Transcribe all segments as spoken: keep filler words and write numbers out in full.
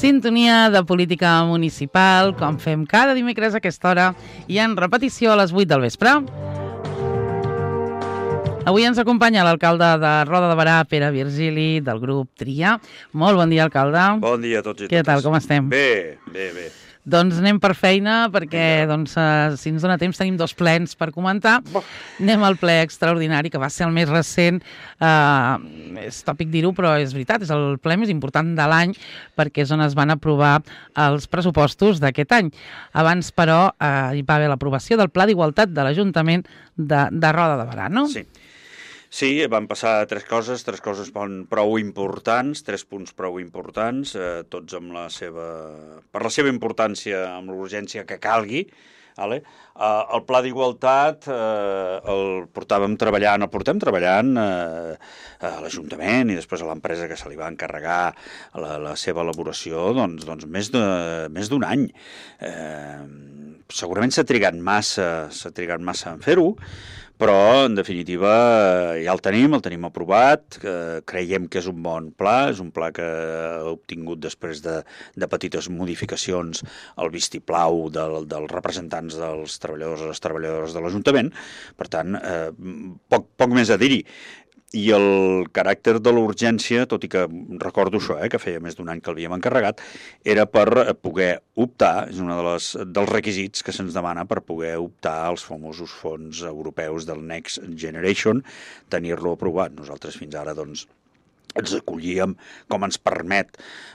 Sintonia de política municipal, com fem cada dimecres a aquesta hora i en repetició a les vuit del vespre. Avui ens acompanya l'alcalde de Roda de Berà, Pere Virgili, del grup Tria. Molt bon dia, alcalde. Bon dia a tots i totes. Què tal, com estem? Bé, bé, bé. Doncs anem per feina, perquè doncs, eh, si ens dona temps tenim dos plens per comentar. Bo. Anem al ple extraordinari, que va ser el més recent. Eh, és tòpic dir-ho, però és veritat, és el ple més important de l'any, perquè és on es van aprovar els pressupostos d'aquest any. Abans, però, eh, hi va haver l'aprovació del Pla d'Igualtat de l'Ajuntament de, de Roda de Berà, no? Sí. Sí, van passar tres coses, tres coses prou importants, tres punts prou importants, eh, tots amb la seva, per la seva importància, amb l'urgència que calgui. Vale? Eh, el Pla d'Igualtat eh, el portàvem treballant, el portem treballant eh, a l'Ajuntament i després a l'empresa que se li va encarregar la, la seva elaboració doncs, doncs més de, més d'un any. Eh, segurament s'ha trigat massa, s'ha trigat massa en fer-ho, però, en definitiva, ja el tenim, el tenim aprovat, eh, creiem que és un bon pla, és un pla que ha obtingut després de, de petites modificacions el vistiplau del, dels representants dels treballadors i les treballadores de l'Ajuntament, per tant, eh, poc, poc més a dir-hi. I el caràcter de l'urgència, tot i que recordo això, eh, que feia més d'un any que l'havíem encarregat, era per poder optar, és un dels, dels requisits que se'ns demana per poder optar als famosos fons europeus del Next Generation, tenir-lo aprovat. Nosaltres fins ara, doncs, ens acollíem, com ens permet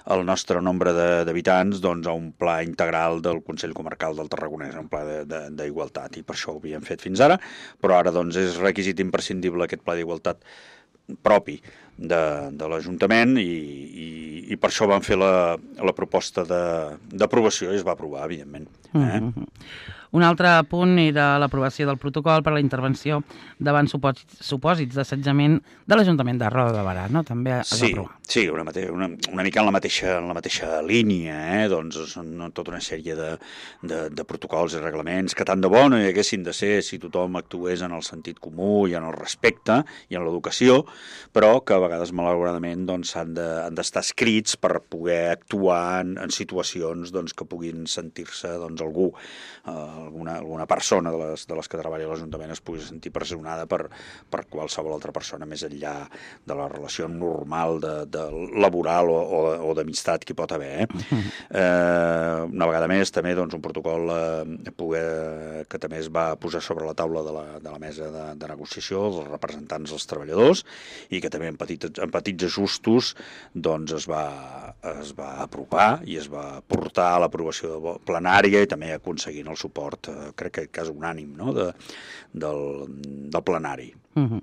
el nostre nombre d'habitants, doncs, a un pla integral del Consell Comarcal del Tarragonès, un pla d'igualtat, i per això ho havíem fet fins ara, però ara doncs, és requisit imprescindible aquest pla d'igualtat propi de, de l'Ajuntament i, i, i per això vam fer la, la proposta d'aprovació i es va aprovar, evidentment. Eh? Mm-hmm. Un altre punt era l'aprovació del protocol per a la intervenció davant supòsits, supòsits d'assetjament de l'Ajuntament de Roda de Berà, no? També es sí, va aprovar. Sí, una, mate una, una mica en la mateixa, en la mateixa línia, eh? Doncs són tota una sèrie de, de, de protocols i reglaments que tant de bo no hi haguessin de ser si tothom actués en el sentit comú i en el respecte i en l'educació, però que a vegades, malauradament, doncs, han d'estar escrits per poder actuar en, en situacions doncs, que puguin sentir-se doncs, algú, eh, alguna, alguna persona de les, de les que treballa a l'Ajuntament es pugui sentir pressionada per, per qualsevol altra persona més enllà de la relació normal de, de laboral o, o, o d'amistat que hi pot haver. Eh? Eh, una vegada més, també doncs, un protocol eh, poder, que també es va posar sobre la taula de la, de la mesa de, de negociació dels representants dels treballadors i que també en petits, en petits ajustos doncs, es, va, es va aprovar i es va portar a l'aprovació plenària i també aconseguint el suport crec que cas unànim, no? de, del, del plenari. Uh-huh.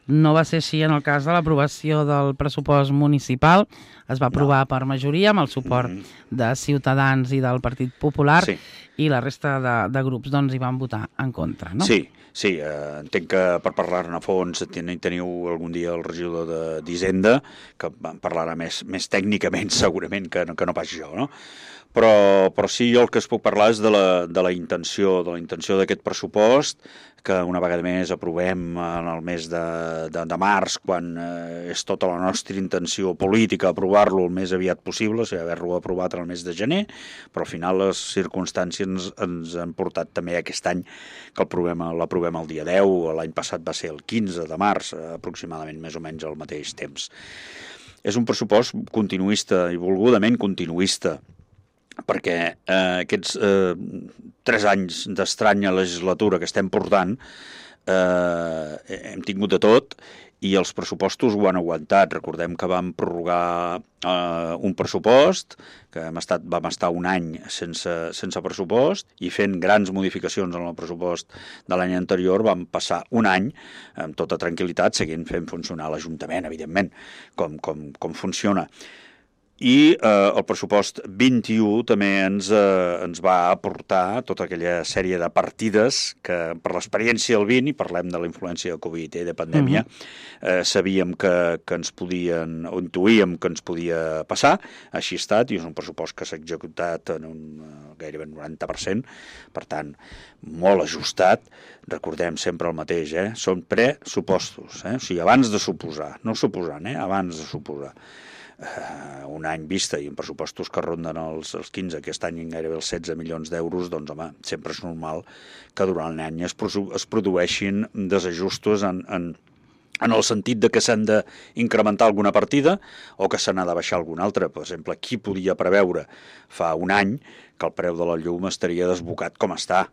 No va ser així en el cas de l'aprovació del pressupost municipal. Es va aprovar no. per majoria amb el suport uh-huh. de Ciutadans i del Partit Popular sí. i la resta de, de grups doncs, hi van votar en contra, no? Sí, sí, eh, entenc que per parlar-ne a fons ten, teniu algun dia el regidor d'Hisenda que parlarà més, més tècnicament segurament que no, que no pas jo, no? Però, però sí, jo el que es puc parlar és de la, de la intenció de la intenció d'aquest pressupost, que una vegada més aprovem en el mes de, de, de març, quan eh, és tota la nostra intenció política aprovar-lo el més aviat possible, o sigui, haver-lo aprovat en el mes de gener, però al final les circumstàncies ens, ens han portat també aquest any que l'aprovem el dia deu, l'any passat va ser el quinze de març, aproximadament més o menys al mateix temps. És un pressupost continuista i volgudament continuista, perquè eh, aquests eh, tres anys d'estranya legislatura que estem portant eh, hem tingut de tot i els pressupostos ho han aguantat. Recordem que vam prorrogar eh, un pressupost, que hem estat, vam estar un any sense, sense pressupost i fent grans modificacions en el pressupost de l'any anterior vam passar un any amb tota tranquil·litat seguint fent funcionar l'Ajuntament, evidentment, com, com, com funciona. I eh, el pressupost vint-i-u també ens, eh, ens va aportar tota aquella sèrie de partides que per l'experiència del vint, i parlem de la influència de Covid i eh, de pandèmia, uh-huh. eh, sabíem que, que ens podien, o intuïem que ens podia passar, així ha estat, i és un pressupost que s'ha executat en un gairebé noranta per cent, per tant, molt ajustat. Recordem sempre el mateix, eh? Són pressupostos, eh? O sigui, abans de suposar, no suposant, eh? Abans de suposar. eh, un any vista i en pressupostos que ronden els, els quinze, aquest any gairebé els setze milions d'euros, doncs home, sempre és normal que durant l'any es, es produeixin desajustos en, en, en el sentit de que s'han d'incrementar alguna partida o que se n'ha de baixar alguna altra. Per exemple, qui podia preveure fa un any que el preu de la llum estaria desbocat com està?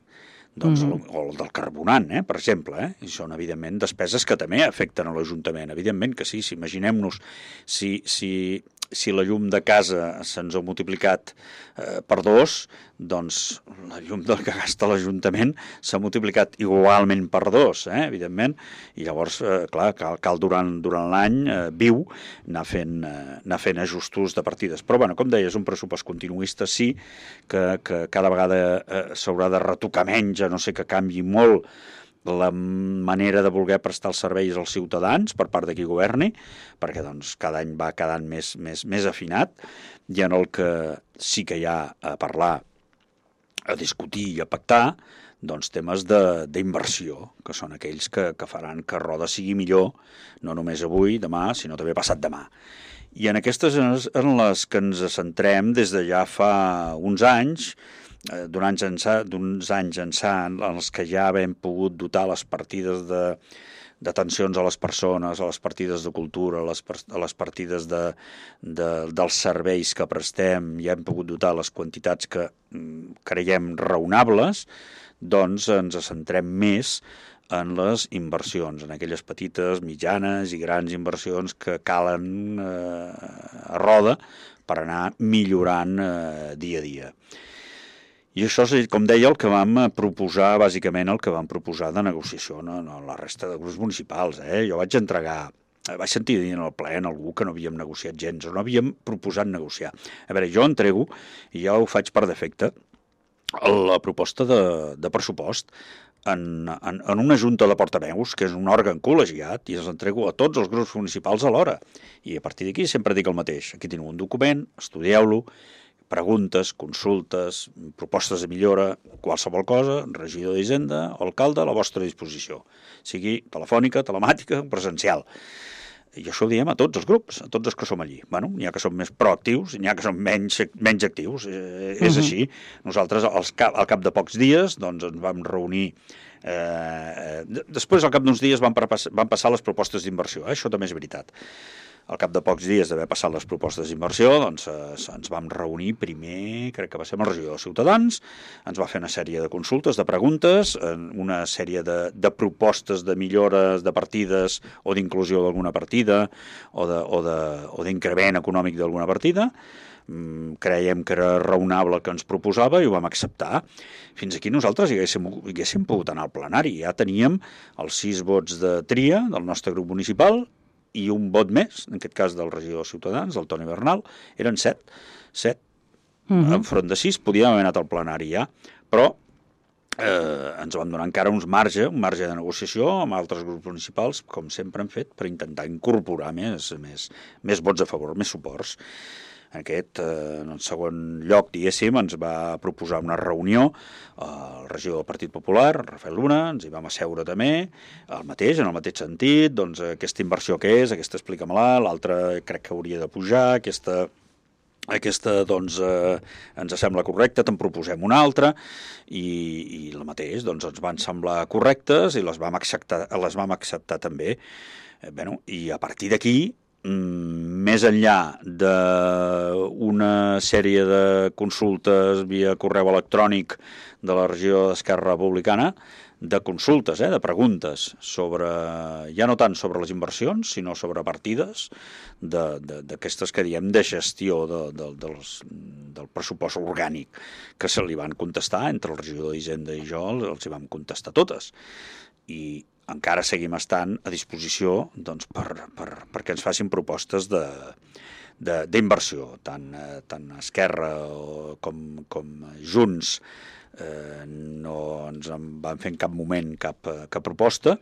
Doncs, mm-hmm. o el del carbonant, eh, per exemple, eh? I són, evidentment, despeses que també afecten a l'Ajuntament. Evidentment que sí, si imaginem-nos si, si, si la llum de casa se'ns ha multiplicat eh, per dos, doncs la llum del que gasta l'Ajuntament s'ha multiplicat igualment per dos, eh, evidentment, i llavors, eh, clar, cal, cal durant, durant l'any eh, viu anar fent, eh, anar fent ajustos de partides. Però, bueno, com deies, un pressupost continuista sí que, que cada vegada eh, s'haurà de retocar menys, a no sé que canvi molt la manera de voler prestar els serveis als ciutadans per part de qui governi, perquè doncs, cada any va quedant més, més, més afinat, i en el que sí que hi ha a parlar, a discutir i a pactar, doncs temes d'inversió, que són aquells que, que faran que Roda sigui millor, no només avui, demà, sinó també passat demà. I en aquestes en les que ens centrem des de ja fa uns anys, d'uns anys ençà, en els que ja hem pogut dotar les partides de d'atencions a les persones, a les partides de cultura, a les, a les partides de, de, dels serveis que prestem, ja hem pogut dotar les quantitats que creiem raonables, doncs ens centrem més en les inversions, en aquelles petites, mitjanes i grans inversions que calen eh, a Roda per anar millorant eh, dia a dia. I això és, com deia, el que vam proposar, bàsicament el que vam proposar de negociació, no, no la resta de grups municipals. Eh? Jo vaig entregar, vaig sentir dir en el ple en algú que no havíem negociat gens, o no havíem proposat negociar. A veure, jo entrego, i ja ho faig per defecte, la proposta de, de pressupost en, en, en una junta de portaveus, que és un òrgan col·legiat, i els entrego a tots els grups municipals alhora. I a partir d'aquí sempre dic el mateix. Aquí teniu un document, estudieu-lo, preguntes, consultes, propostes de millora, qualsevol cosa, regidor d'Hisenda o alcalde a la vostra disposició, sigui telefònica, telemàtica o presencial. I això ho diem a tots els grups, a tots els que som allí. Bueno, n'hi ha que som més proactius, n'hi ha que som menys, menys actius, eh, és uh-huh. així. Nosaltres, als cap, al cap de pocs dies, doncs ens vam reunir. Eh, després, al cap d'uns dies, van, van passar les propostes d'inversió. Eh? Això també és veritat. Al cap de pocs dies d'haver passat les propostes d'inversió, doncs eh, ens vam reunir primer, crec que va ser amb el regidor de Ciutadans, ens va fer una sèrie de consultes, de preguntes, una sèrie de, de propostes de millores de partides o d'inclusió d'alguna partida o d'increment econòmic d'alguna partida. Mm, creiem que era raonable el que ens proposava i ho vam acceptar. Fins aquí nosaltres hi haguéssim, hi haguéssim pogut anar al plenari. Ja teníem els sis vots de tria del nostre grup municipal i un vot més, en aquest cas del regidor de Ciutadans, del Toni Bernal, eren set, set, uh-huh. enfront de sis, podíem haver anat al plenari ja, però eh, ens vam donar encara uns marge, un marge de negociació amb altres grups municipals, com sempre hem fet, per intentar incorporar més, més, més vots a favor, més suports. Aquest, eh, en el segon lloc, diguéssim, ens va proposar una reunió el regidor del Partit Popular, Rafael Luna, ens hi vam asseure també, el mateix, en el mateix sentit, doncs aquesta inversió que és, aquesta explica-me-la, l'altra crec que hauria de pujar, aquesta... Aquesta, doncs, eh, ens sembla correcta, te'n proposem una altra, i, i el mateix, doncs, ens van semblar correctes i les vam acceptar, les vam acceptar també. Eh, bueno, i a partir d'aquí, més enllà d'una sèrie de consultes via correu electrònic de la regió d'Esquerra Republicana, de consultes, eh, de preguntes, sobre ja no tant sobre les inversions, sinó sobre partides d'aquestes que diem de gestió de, de, dels, del pressupost orgànic, que se li van contestar, entre el regidor d'Hisenda i jo els hi vam contestar totes. I encara seguim estant a disposició doncs, per, per, perquè ens facin propostes de, de, d'inversió, tant, eh, tant Esquerra com, com Junts eh, no ens en van fer en cap moment cap, cap proposta,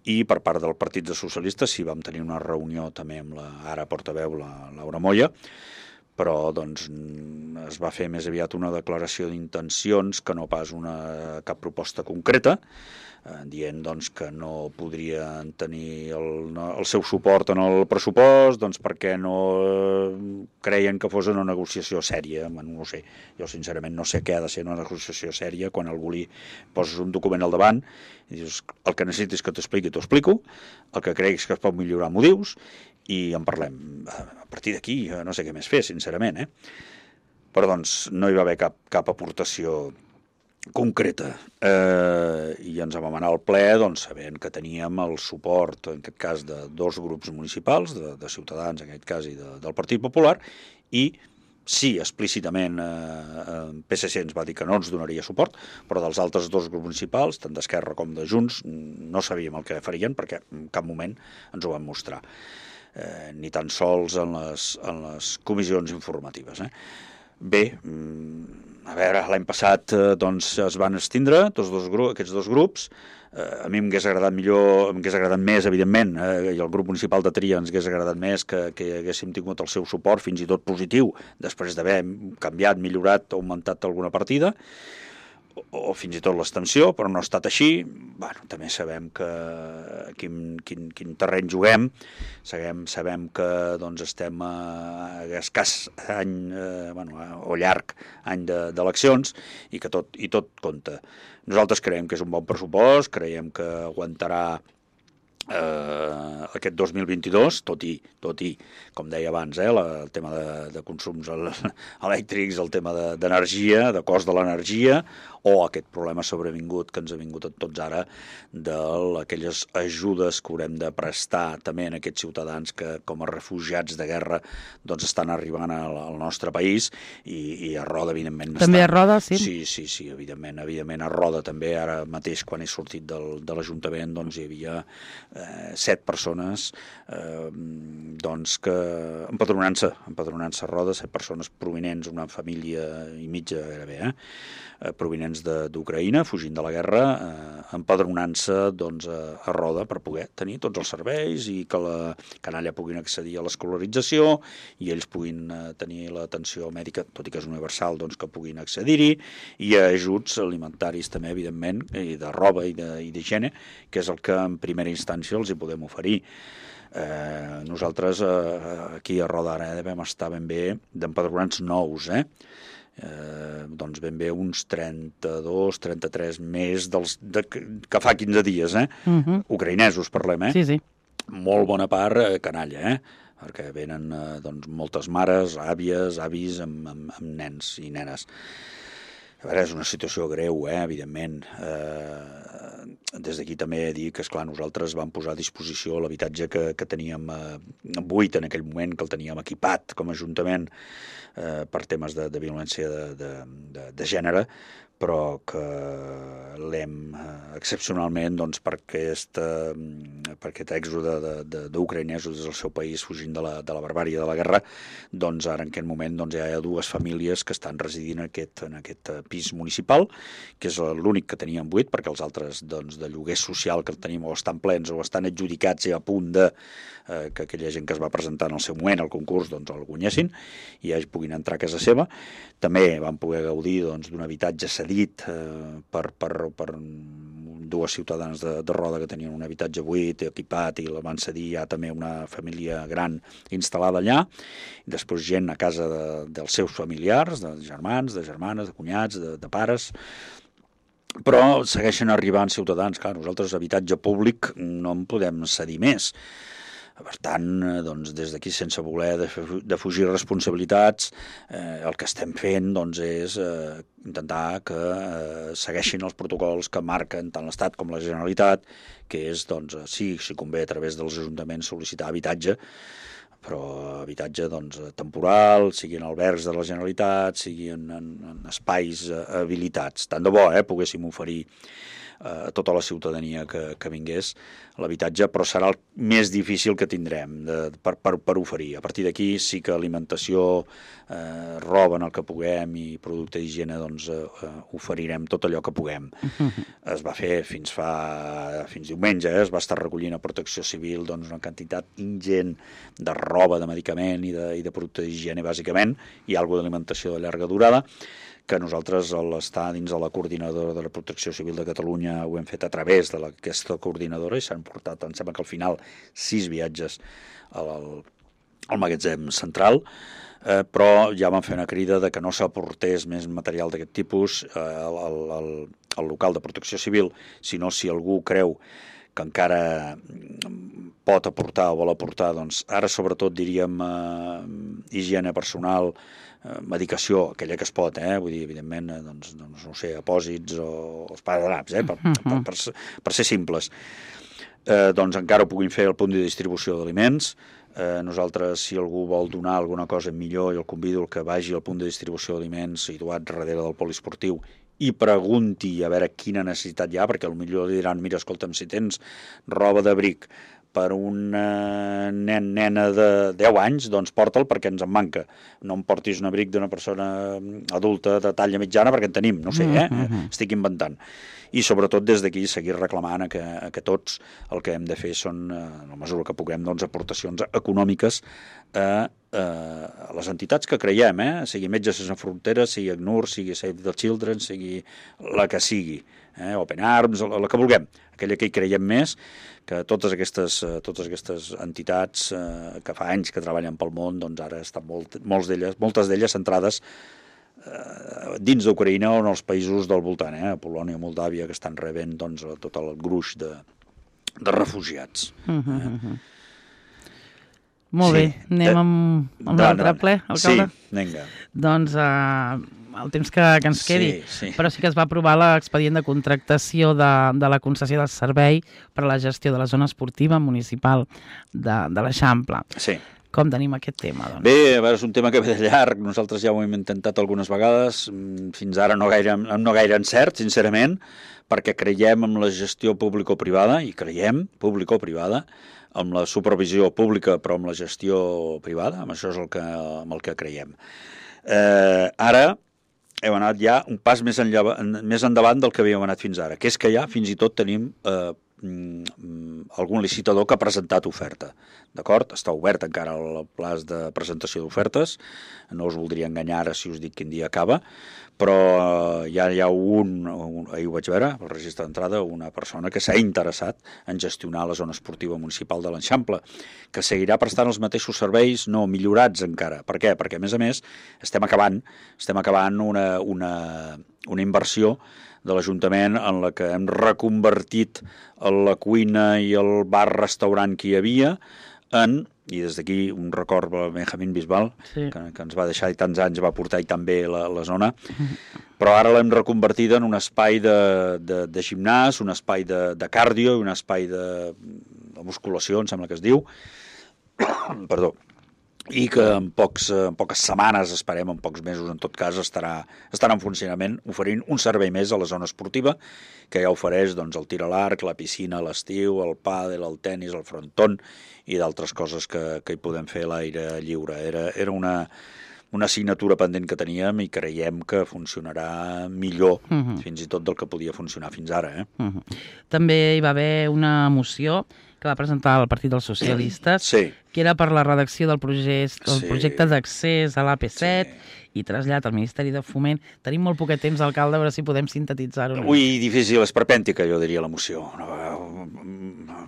i per part del Partit dels Socialistes sí vam tenir una reunió també amb la ara portaveu, la Laura Moya, però doncs, es va fer més aviat una declaració d'intencions que no pas una, cap proposta concreta, eh, dient doncs, que no podrien tenir el, el seu suport en el pressupost doncs, perquè no creien que fos una negociació sèria. Bueno, no sé, jo sincerament no sé què ha de ser una negociació sèria quan algú li poses un document al davant i dius, el que necessitis que t'expliqui, t'ho explico, el que creguis que es pot millorar m'ho dius i en parlem. A partir d'aquí no sé què més fer, sincerament, eh? Però doncs no hi va haver cap, cap aportació concreta, eh, i ens vam anar al ple doncs, sabent que teníem el suport, en aquest cas, de dos grups municipals, de, de Ciutadans, en aquest cas, i de, del Partit Popular, i sí, explícitament eh, P S C ens va dir que no ens donaria suport, però dels altres dos grups municipals, tant d'Esquerra com de Junts, no sabíem el que farien perquè en cap moment ens ho van mostrar, eh, ni tan sols en les, en les comissions informatives, eh? Bé, a veure, l'any passat eh, doncs, es van extindre tots dos grups, aquests dos grups. Eh, a mi m'hagués agradat millor, m'hagués agradat més, evidentment, eh, i el grup municipal de Tria ens hagués agradat més que, que haguéssim tingut el seu suport, fins i tot positiu, després d'haver canviat, millorat, augmentat alguna partida, o, o fins i tot l'extensió, però no ha estat així. Bueno, també sabem que quin, quin, quin terreny juguem, sabem, sabem que doncs, estem a, a escàs any, eh, bueno, o llarg any d'eleccions, i que tot, i tot compta. Nosaltres creiem que és un bon pressupost, creiem que aguantarà eh, aquest dos mil vint-i-dos, tot i, tot i com deia abans, eh, la, el tema de, de consums elèctrics, el tema d'energia, de, de cost de l'energia, o aquest problema sobrevingut que ens ha vingut a tots ara d'aquelles ajudes que haurem de prestar també en aquests ciutadans que com a refugiats de guerra doncs estan arribant al, al nostre país, i, i a Roda evidentment també està... a Roda, sí? Sí, sí, sí, evidentment, evidentment a Roda també, ara mateix quan he sortit del, de l'Ajuntament doncs hi havia eh, set persones eh, doncs que empadronant-se, empadronant-se a Roda, set persones provinents, una família i mitja gairebé, eh? provinents d'Ucraïna, fugint de la guerra, eh, empadronant-se doncs, a, a Roda per poder tenir tots els serveis i que la canalla puguin accedir a l'escolarització i ells puguin eh, tenir l'atenció mèdica, tot i que és universal, doncs, que puguin accedir-hi, i ajuts alimentaris també, evidentment, i de roba i d'higiene, que és el que en primera instància els hi podem oferir. Eh, nosaltres eh, aquí a Roda ara devem estar ben bé d'empadronats nous, eh? Eh, doncs ben bé uns trenta-dos trenta-tres més dels, de, que fa quinze dies, eh? Uh-huh. Ucraïnesos parlem, eh? Sí, sí. Molt bona part eh, canalla, eh? Perquè venen eh, doncs, moltes mares, àvies, avis amb, amb, amb nens i nenes. A veure, és una situació greu, eh? Evidentment. Eh, des d'aquí també dir que, esclar, nosaltres vam posar a disposició l'habitatge que, que teníem eh, buit en aquell moment, que el teníem equipat com a Ajuntament eh, per temes de, de violència de, de, de, de gènere, però que l'hem eh, excepcionalment doncs, per, aquest, eh, per aquest èxode d'ucraïnesos des del seu país fugint de la, de la barbària de la guerra, doncs ara en aquest moment doncs, hi ha dues famílies que estan residint en aquest, en aquest pis municipal, que és l'únic que teníem buit, perquè els altres doncs, de lloguer social que el tenim o estan plens o estan adjudicats i a punt de eh, que aquella gent que es va presentar en el seu moment al concurs doncs, el guanyessin i ja puguin entrar a casa seva. També vam poder gaudir doncs, d'un habitatge cedit eh, per, per, per dues ciutadanes de, de Roda que tenien un habitatge buit, equipat, i la van cedir ja també una família gran instal·lada allà, i després gent a casa de, dels seus familiars, de germans, de germanes, de cunyats, de, de pares, però segueixen arribant ciutadans. Clar, nosaltres habitatge públic no en podem cedir més. Per tant, doncs, des d'aquí, sense voler de fugir responsabilitats, eh, el que estem fent doncs, és eh, intentar que eh, segueixin els protocols que marquen tant l'Estat com la Generalitat, que és, doncs, sí, si convé a través dels ajuntaments sol·licitar habitatge, però habitatge doncs, temporal, sigui en albergs de la Generalitat, sigui en, en, en espais habilitats. Tant de bo eh, poguéssim oferir a tota la ciutadania que, que vingués a l'habitatge, però serà el més difícil que tindrem de, per, per, per oferir. A partir d'aquí sí que alimentació, eh, roba en el que puguem i producte d'higiene, doncs eh, oferirem tot allò que puguem. Es va fer fins fa fins diumenge, eh, es va estar recollint a Protecció Civil doncs, una quantitat ingent de roba, de medicament i de, i de producte d'higiene, bàsicament, i alguna d'alimentació de llarga durada, que nosaltres, a l'estar dins de la coordinadora de la Protecció Civil de Catalunya, ho hem fet a través d'aquesta coordinadora i s'han portat, em sembla que al final, sis viatges al, al magatzem central, eh, però ja van fer una crida de que no s'aportés més material d'aquest tipus eh, al, al, al local de Protecció Civil, sinó si algú creu que encara pot aportar o vol aportar, doncs ara sobretot diríem eh, higiene personal, medicació, aquella que es pot, eh? Vull dir, evidentment, doncs, doncs no sé, apòsits o esparadraps, eh? per, per, per, per ser simples. Eh, doncs encara ho puguin fer al punt de distribució d'aliments. Eh, nosaltres, si algú vol donar alguna cosa millor, jo el convido que vagi al punt de distribució d'aliments situat darrere del poliesportiu i pregunti a veure quina necessitat hi ha, perquè potser li diran, mira, escolta'm, si tens roba d'abric per un nen, nena de deu anys, doncs porta'l perquè ens en manca. No em portis un abric d'una persona adulta de talla mitjana perquè en tenim, no sé, eh? Uh-huh. Estic inventant. I sobretot des d'aquí seguir reclamant que, que tots el que hem de fer són, en la mesura que puguem, doncs, aportacions econòmiques a, a les entitats que creiem, eh? Sigui Metges Sense Fronteres, sigui ACNUR, sigui Save the Children, sigui la que sigui, eh? Open Arms, la, la que vulguem, aquella que hi creiem més, que totes aquestes, totes aquestes entitats eh, que fa anys que treballen pel món, doncs ara estan molt, molts d'elles, moltes d'elles centrades eh, dins d'Ucraïna o en els països del voltant, eh, Polònia, Moldàvia, que estan rebent doncs, tot el gruix de, de refugiats. Uh-huh, eh? uh-huh. Molt sí. bé, anem eh, amb, amb l'altre ple, alcalde? Sí, vinga. Doncs uh, el temps que, que ens quedi, sí, sí. Però sí que es va aprovar l'expedient de contractació de, de la concessió del servei per a la gestió de la zona esportiva municipal de, de l'Eixample. Sí. Com tenim aquest tema? Doncs? Bé, a veure, és un tema que ve de llarg, nosaltres ja ho hem intentat algunes vegades, fins ara no gaire, no gaire encert, sincerament, perquè creiem en la gestió público-privada, i creiem, público-privada, amb la supervisió pública però amb la gestió privada, amb això és el que, amb el que creiem. Eh, ara hem anat ja un pas més, enllà, més endavant del que havíem anat fins ara, que és que ja fins i tot tenim eh, algun licitador que ha presentat oferta. D'acord? Està obert encara el plaç de presentació d'ofertes, no us voldria enganyar ara si us dic quin dia acaba, però ja hi ha un, un ahir ho vaig veure, al registre d'entrada, una persona que s'ha interessat en gestionar la zona esportiva municipal de l'Eixample, que seguirà prestant els mateixos serveis, no millorats encara. Per què? Perquè, a més a més, estem acabant, estem acabant una, una, una inversió de l'Ajuntament en la que hem reconvertit la cuina i el bar-restaurant que hi havia en, i des d'aquí un record a Benjamín Bisbal, sí. que, que ens va deixar i tants anys va portar i també la, la zona, però ara l'hem reconvertida en un espai de, de, de gimnàs, un espai de, de cardio i un espai de, de musculació, em sembla que es diu, perdó, i que en, pocs, en poques setmanes, esperem, en pocs mesos, en tot cas, estarà, estarà en funcionament oferint un servei més a la zona esportiva, que ja ofereix doncs, el tir a l'arc, la piscina a l'estiu, el pàdel, el tennis, el frontón i d'altres coses que, que hi podem fer a l'aire lliure. Era, era una, una assignatura pendent que teníem i creiem que funcionarà millor, uh-huh. fins i tot del que podia funcionar fins ara. Eh? Uh-huh. També hi va haver una moció que va presentar el Partit dels Socialistes, sí. que era per la redacció del projecte, del sí. projecte d'accés a l'A P set sí. i trasllat al Ministeri de Foment. Tenim molt poquet temps, alcalde, a veure si podem sintetitzar-ho. Ui, difícil, esperpèntica, jo diria, la moció. No,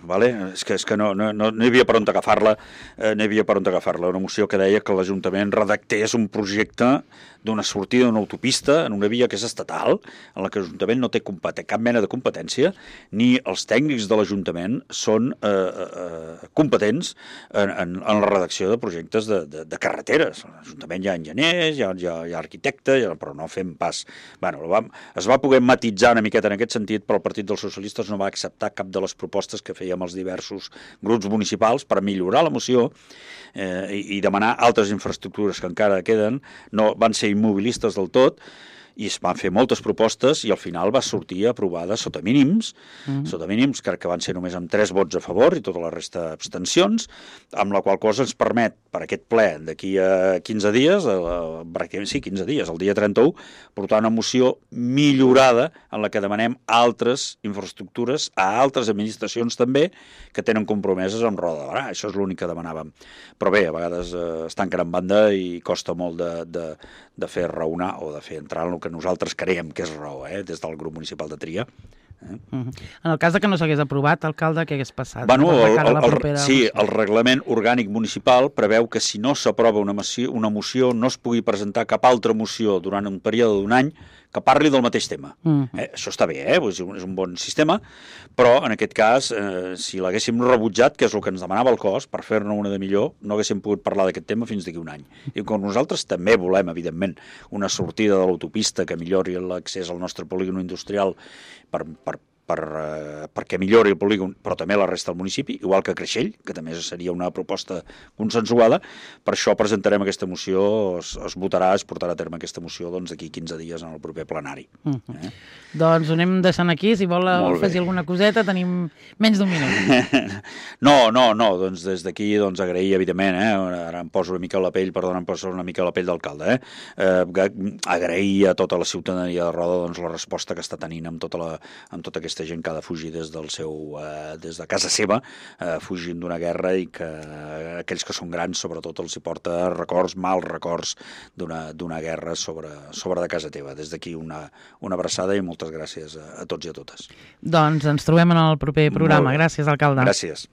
vale? És que, és que no, no, no hi havia per on agafar-la, eh, no hi havia per on agafar-la. Una moció que deia que l'Ajuntament redactés un projecte d'una sortida d'una autopista en una via que és estatal, en la que l'Ajuntament no té cap mena de competència, ni els tècnics de l'Ajuntament són eh, eh, competents en, en, en la redacció de projectes de, de, de carreteres. A l'Ajuntament hi ha enginyers, hi ha, hi ha, hi ha arquitectes, però no fem pas... Bueno, va, es va poder matitzar una miqueta en aquest sentit, però el Partit dels Socialistes no va acceptar cap de les propostes que fèiem els diversos grups municipals per millorar la moció eh, i, i demanar altres infraestructures que encara queden. No van ser immobilistes del tot i es van fer moltes propostes i al final va sortir aprovada sota mínims, mm. sota mínims crec que van ser només amb tres vots a favor i tota la resta abstencions, amb la qual cosa ens permet per aquest ple d'aquí a quinze dies, a, pràcticament sí, quinze dies, el dia trenta-u, portar una moció millorada en la que demanem altres infraestructures a altres administracions també que tenen compromeses amb Roda de Barà. Això és l'únic que demanàvem. Però bé, a vegades eh, es tanquen en banda i costa molt de, de, de fer raonar o de fer entrar en el que nosaltres creiem que és raó, eh, des del grup municipal de Tria. Eh? Uh-huh. En el cas de que no s'hagués aprovat, alcalde, què hagués passat? Bueno, el, el, el, sí, el reglament orgànic municipal preveu que si no s'aprova una, una moció no es pugui presentar cap altra moció durant un període d'un any que parli del mateix tema. Uh-huh. eh, això està bé, eh? És un, és un bon sistema, però en aquest cas, eh, si l'haguéssim rebutjat, que és el que ens demanava el cos, per fer-ne una de millor, no haguéssim pogut parlar d'aquest tema fins d'aquí un any. I com nosaltres també volem, evidentment, una sortida de l'autopista que millori l'accés al nostre polígon industrial per, per Per, eh, perquè millori el polígon, però també la resta del municipi, igual que Creixell, que també seria una proposta consensuada. Per això presentarem aquesta moció, es, es votarà, es portarà a terme aquesta moció doncs, d'aquí quinze dies en el proper plenari. Uh-huh. eh? Doncs ho anem deixant aquí, si vol afegir alguna coseta, tenim menys d'un minut. No, no, no, doncs des d'aquí doncs, agrair, evidentment, eh? Ara em poso una mica a la pell, perdona, em poso una mica a la pell d'alcalde, eh? Eh, agrair a tota la ciutadania de Roda doncs, la resposta que està tenint amb tota, la, amb tota aquesta aquesta gent que ha de fugir des del seu, eh, des de casa seva, eh, fugint d'una guerra i que eh, aquells que són grans sobretot els hi porta records, mals records d'una guerra sobre, sobre de casa teva. Des d'aquí una, una abraçada i moltes gràcies a, a tots i a totes. Doncs ens trobem en el proper programa. Gràcies, alcalde. Gràcies.